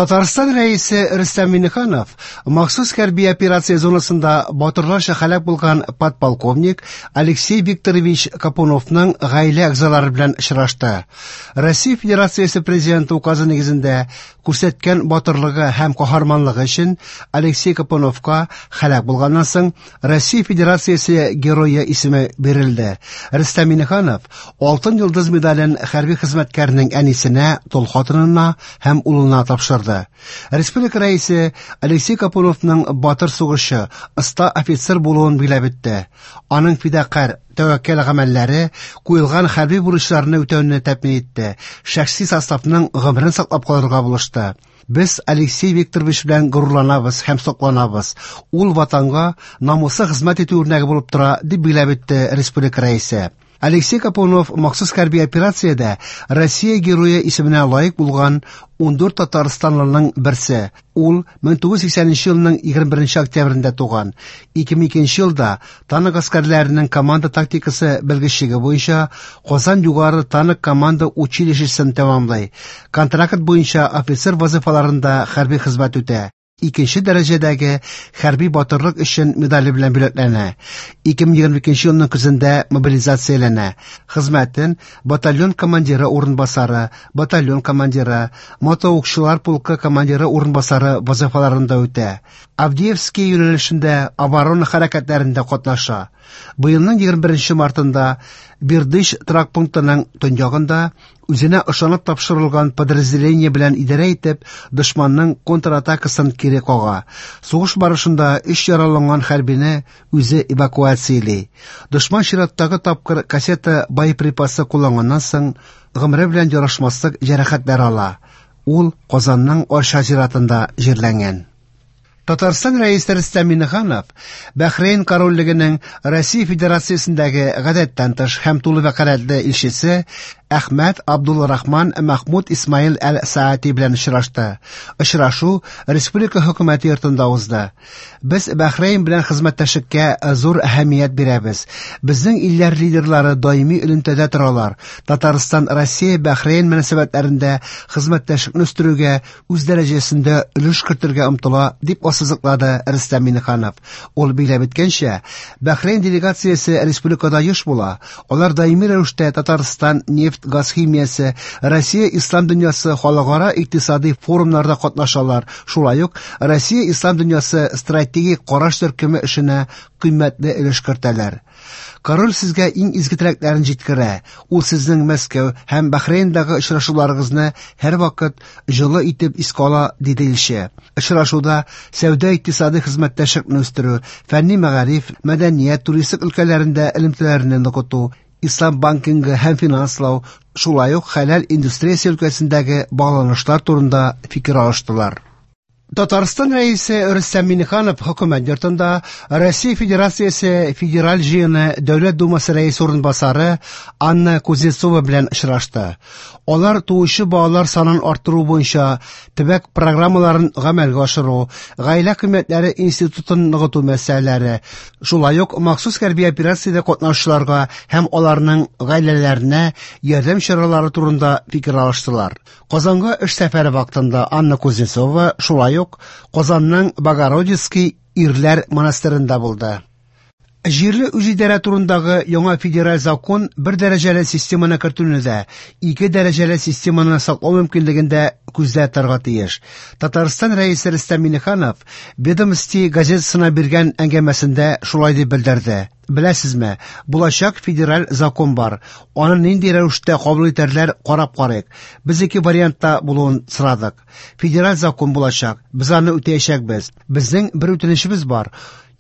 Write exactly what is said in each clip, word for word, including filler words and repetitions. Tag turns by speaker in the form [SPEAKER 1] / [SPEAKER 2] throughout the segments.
[SPEAKER 1] Татарстан Рәисе Рөстәм Миңнеханов махсус хәрби операция зонасында батырларча һәлак булган подполковник Алексей Викторович Капуновның гаилә әгъзалары белән очрашты. Россия Федерациясе Президенты указы нигезендә күрсәткән батырлыгы һәм каһарманлыгы өчен Алексей Капуновка һәлак булганнан соң Россия Федерациясе Герое исеме бирелде. Рөстәм Миңнеханов Алтын Йолдыз медален хәрби хезмәткәрнең әнисенә, тол хатынына һәм улына тапшырды. Республика Рәисе Алексей Капуновның батыр сугышчы, оста офицер булуын билгеләп үтте. Аның фидакарь, тәвәккәл гамәлләре куелган хәрби бурычларны үтәүне тәэмин итте, шәхси составның гомерен саклап калырга булышты. Без Алексей Викторович белән горурланабыз һәм сокланабыз. Ул ватанга намуслы хезмәт итү үрнәге булып тора, дип билгеләп үтте республика Рәисе. Алексей Капунов махсус хәрби операциядә Россия Герое исеменә лаек булган ундүрт татарстанлының берсе. Ул мең тугыз йөз сиксәненче елның егерме беренче октябрендә туган. Ике мең икенче елда танк гаскәрләренең команда тактикасы белгечлеге буенча Казан югары танк команда училищесын тәмамлый. Контракт буенча офицер вазифаларында хәрби хезмәт үтә. Икенче дәрәҗәдәге хәрби батырлык өчен медале белән бүләкләнә. Ике мең егерме икенче елның көзендә мобилизацияләнә. Хезмәтен батальон командиры урынбасары, батальон командиры, мотоукчылар полкы командиры урынбасары вазифаларында үтә. Авдеевский юнәлешендә оборона хәрәкәтләрендә катнаша. Быелның егерме беренче мартында Бердыш торак пунктының төньягында үзенә ышанып тапшырылган подразделение белән идарә итеп, дошманның контратакасын кире кага. Сугыш барышында өч яраланган хәрбине үзе эвакуацияли. Дошман чираттагы тапкыр кассета боеприпасы кулланганнан соң гомере белән ярашмаслык җәрәхәтләр ала. Ул Казанның Арча зиратында җирләнгән. Татарстан Рәисе Рөстәм Миңнеханов Бәхрейн корольлегенең Россия Федерациясендәге гадәттән тыш һәм тулы вәкаләтле илчесе Әхмәт Абдулрахман Махмуд Исмаил Әл-Саати белән очрашты. Очрашу республика хөкүмәте йортында узды. Без Бәхрейн белән хезмәттәшлеккә зур әһәмият бирәбез. Безнең илләр лидерлары даими элемтәдә торалар. Татарстан Россия Бәхрейн мөнәсәбәтләрендә хезмәттәшлекне үстерүгә үз дәрәҗәсендә өлеш кертергә омтыла, дип ассызыклады Рөстәм Миңнеханов. Ул билгеләп үткәнчә, Бәхрейн делегациясе республикада еш була. Алар даими рәвештә Татарстан нефть газ химиясе, Россия ислам дөньясы халыкара икътисади форумнарда катнашалар. Шулай ук Россия ислам дөньясы стратегик караш төркеме эшенә кыйммәтле өлеш кертәләр. Король сезгә иң изге теләкләрен җиткерә. Ул сезнең Мәскәү һәм Бәхрейндагы очрашуларыгызны һәрвакыт җылы итеп искә ала, диде илче. Очрашуда сәүдә икътисади хезмәттәшлекне үстерү, фәнни мәгариф, мәдәният, туристик өлкәләрендә элемтәләрне ныгыту, ислам банкингы һәм финанслау, шулай ук хәләл индустриясе өлкәсендәге багланышлар турында фикер алыштылар. Татарстан Рәисе Рөстәм Миңнеханов хөкүмәт йортында Россия Федерациясе Федераль җыены Дәүләт Думасы рәисе урынбасары Анна Кузнецова белән очрашты. Алар туучы балалар санын арттыру буенча төбәк программаларын гамәлгә ашыру, гаилә кыйммәтләре институтын ныгыту мәсьәләләре, шулай ук махсус хәрби операциядә катнашучыларга һәм аларның гаиләләренә ярдәм чаралары турында фикер алыштылар. Казанга эш сәфәре вакытында Анна Кузнецова шулай ук Казанның Богородицкий ирләр монастырында булды. Җирле үзидарә турындагы яңа федераль закон бер дәрәҗәле системаны кертүне дә, ике дәрәҗәле системаны саклау мөмкинлеген дә күздә тотарга тиеш. Татарстан Рәисе Рөстәм Миңнеханов Ведомости газетасына биргән әңгәмәсендә шулай дип белдерде. Беләсезме, булачак федераль закон бар. Аны нинди рәвештә кабул итәрләр, карап карыйк. Без ике вариантта булуын сорадык. Федераль закон булачак, без аны үтәячәкбез. Безнең бер үтенечебез бар.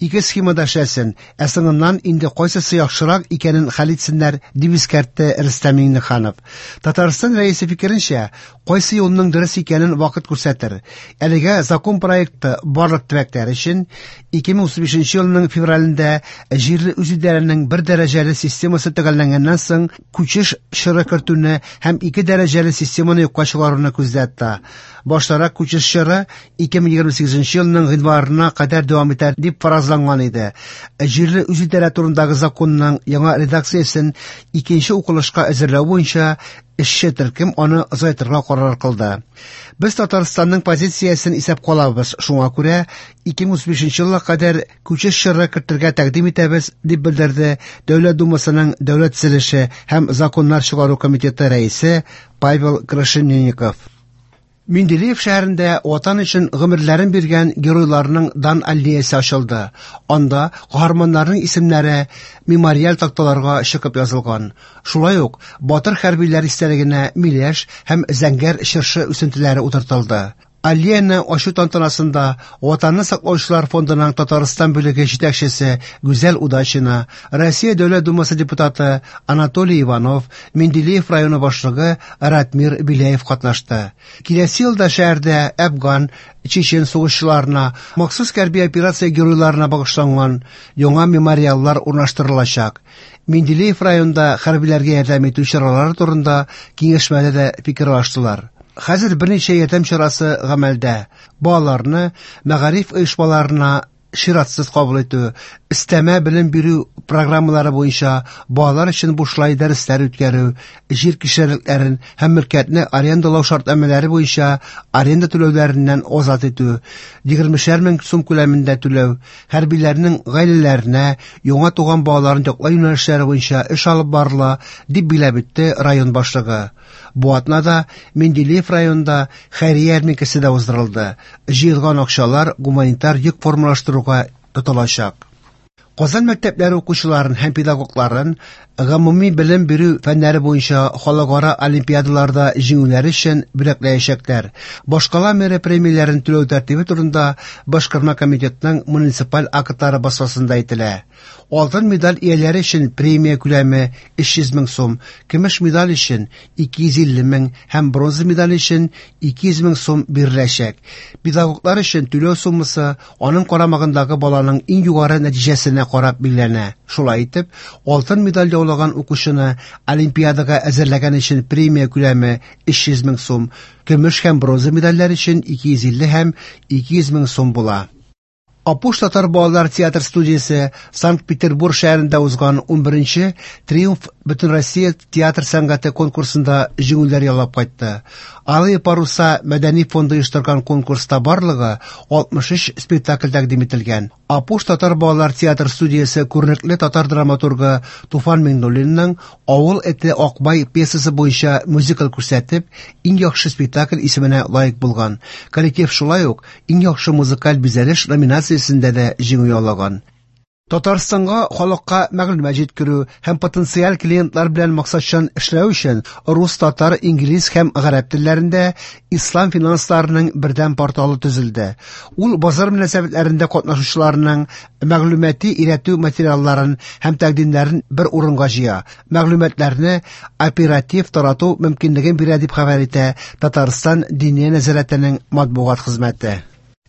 [SPEAKER 1] Ике схемада эшләсен, ә соңыннан инде кайсысы яхшырак икәнен хәл итсеннәр, дип искәртте Рөстәм Миңнеханов. Татарстан Рәисе фикеренчә, кайсы юлның дөрес икәнен вакыт күрсәтер. Әлегә закон проекты барлык төбәкләр өчен ике мең утыз бишенче елның февралендә җирле үзидарәнең бер дәрәҗәле системасы төгәлләнгәннән соң күчеш чоры кертүне һәм ике дәрәҗәле системаны юкка чыгаруны күздә тота. Баштарак күчеш чоры ике мең егерме сигезенче елның гыйнварына кадәр дәвам итәр дип фаразланган иде. Җирле үзидарә турындагы законның яңа редакциясен икенче укылышка әзерләү буенча Эшче төркем аны озайтырга карар кылды. Без Татарстанның позициясен исәпкә алабыз, шуңа күрә ике мең утыз бишенче елга кадәр күчеш чоры кертергә тәкъдим итәбез, дип белдерде Дәүләт Думасының Дәүләт төзелеше һәм законнар чыгару комитеты рәисе Павел Крашенинников. Менделеев шәһәрендә Ватан өчен гомерләрен биргән геройларның дан аллеясы ачылды. Анда каһарманнарның исемнәре мемориаль такталарга чыгып язылган. Шулай ук батыр хәрбиләр истәлегенә миләш һәм зәңгәр чыршы үсентеләре утыртылды. Аллеяны ачу тантанасында Ватанны саклаучылар фондының Татарстан бүлеге җитәкчесе Гүзәл Удачина, Россия Дәүләт Думасы депутаты Анатолий Иванов, Менделеев районы башлыгы Ратмир Беляев катнашты. Киләсе елда шәһәрдә Әфган, Чечен сугышчыларына, махсус хәрби операция геройларына багышланган яңа мемориаллар урнаштырылачак. Менделеев районында хәрбиләргә ярдәм итү чаралары турында киңәшмәдә дә фикер алыштылар. Хәзер берничә ярдәм чарасы гамәлдә. Балаларны мәгариф оешмаларына чиратсыз кабул итү, өстәмә белем бирү программалары буенча балалар өчен бушлай дәресләр үткәрү, җир кишәрлекләрен һәм мөлкәтне арендалау шартнамәләре буенча аренда түләүләреннән азат итү, егермешәр мең сум күләмендә түләү, хәрбиләрнең гаиләләренә яңа туган балаларын яклау юнәлешләре буенча эш алып барыла, дип билгеләп үтте район башлыгы. Бу атнада Менделеев районында хәйрия ярминкәсе дә уздырылды. Җыелган акчалар гуманитар йөк формалаштыруга тотылачак. Казан мәктәпләре укучыларын һәм педагогларын гомуми белем бирү фәннәре буенча халыкара олимпиадаларда җиңүләре өчен бүләкләячәкләр. Башкала мэры премияләрен түләү тәртибе турында Башкарма комитетның муниципаль актлары басмасында әйтелә. Алтын медаль ияләре өчен премия күләме өч йөз мең сум, көмеш медаль өчен ике йөз илле мең һәм бронза медаль өчен ике йөз мең сум биреләчәк. Педагоглар өчен түләү суммасы аның карамагындагы баланың иң югары нәтиҗәсенә карап билгеләнә. Шулай итеп, алтын медаль яулаган укучыны олимпиадага әзерләгән өчен премия күләме өч йөз мең сум, көмеш һәм бронза медальләр өчен ике йөз илле һәм ике йөз мең сум була. Апуш татар балалар театр студиясе Санкт-Петербург шәһәрендә узган унберенче Триумф Бөтенроссия театр сәнгате конкурсында җиңүләр яулап кайтты. Алые паруса мәдәни фонды оештырган конкурста барлыгы алтмыш өч спектакль тәкъдим ителгән. Апуш татар балалар театр студиясе күренекле татар драматургы Туфан Миңнуллинның Авыл эте Акбай пьесасы буенча мюзикл күрсәтеп, иң яхшы спектакль исеменә лаек булган. Коллектив шулай ук иң яхшы музыкаль бизәлеш номинациясендә дә җиңү яулаган. Татарстанга халыкка мәгълүмат җиткерү һәм потенциаль клиентлар белән максатчан эшләү өчен рус, татар, инглиз һәм гарәп телләрендә ислам финансларының бердәм порталы төзелде. Ул базар мөнәсәбәтләрендә катнашучыларның мәгълүмати өйрәтү материалларын һәм тәкъдимнәрен бер урынга җыя. Мәгълүматларны оператив тарату мөмкинлеген бирә, дип хәбәр итә Татарстан Диния нәзарәтенең матбугат хезмәте.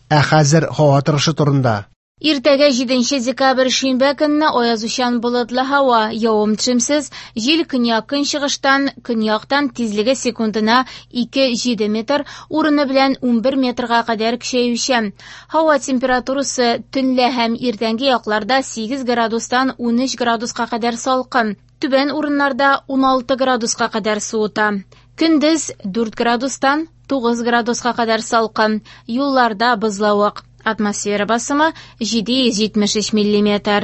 [SPEAKER 1] Ә хәзер һава торышы турында.
[SPEAKER 2] Иртәгә җиденче декабрь шимбә көнне аязучан болытлы һава, явым-төшемсез, җил көньяк-көнчыгыштан, көньяктан тизлеге секундына ике җиде метр, урыны белән унбер метрга кадәр көчәючән. Һава температурасы төнлә һәм иртәнге якларда сигез градустан унөч градуска кадәр салкын, түбән урыннарда уналты градуска кадәр суыта. Көндез дүрт градустан тугыз градуска кадәр салкын, юлларда бозлавык. Атмосфера басымы җиде йөз җитмеш өч миллиметр.